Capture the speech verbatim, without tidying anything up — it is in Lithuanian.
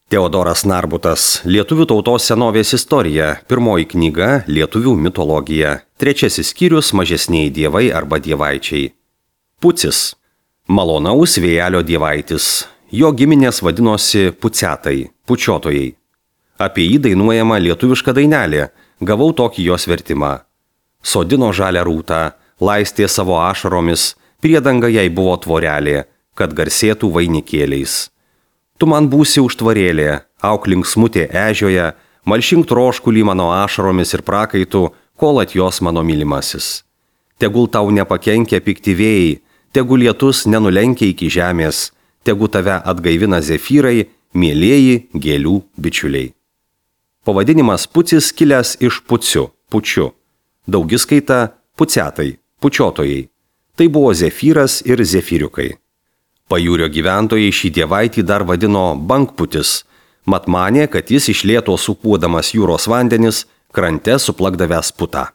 Teodoras Narbutas, Lietuvių tautos senovės istorija, pirmoji knyga Lietuvių mitologija, trečiasis skyrius Mažesnieji dievai arba dievaičiai. Pucis, malonaus vėjelio dievaitis, jo giminės vadinosi pucetai, pučiotojai. Apie jį dainuojama lietuviška dainelė, gavau tokį jos vertimą. Sodino žalią rūtą, laistė savo ašaromis, priedanga jai buvo tvorelė, kad garsėtų vainikėliais. Tu man būsi užtvarėlė, auklink smutė ežioje, malšink troškulį mano ašaromis ir prakaitų, kol atjos mano mylimasis. Tegul tau nepakenkia pikti vėjai, tegul lietus nenulenkia iki žemės, tegul tave atgaivina zefyrai, mielieji gėlių bičiuliai. Pavadinimas pucis kilęs iš puciu, pučiu. Daugiskaita pucetai, pučiotojai. Tai buvo zefyras ir zefyriukai. Pajūrio gyventojai šį dievaitį dar vadino bankputis, mat manė, kad jis iš lėto supūdamas jūros vandenis krante suplakdavęs putą.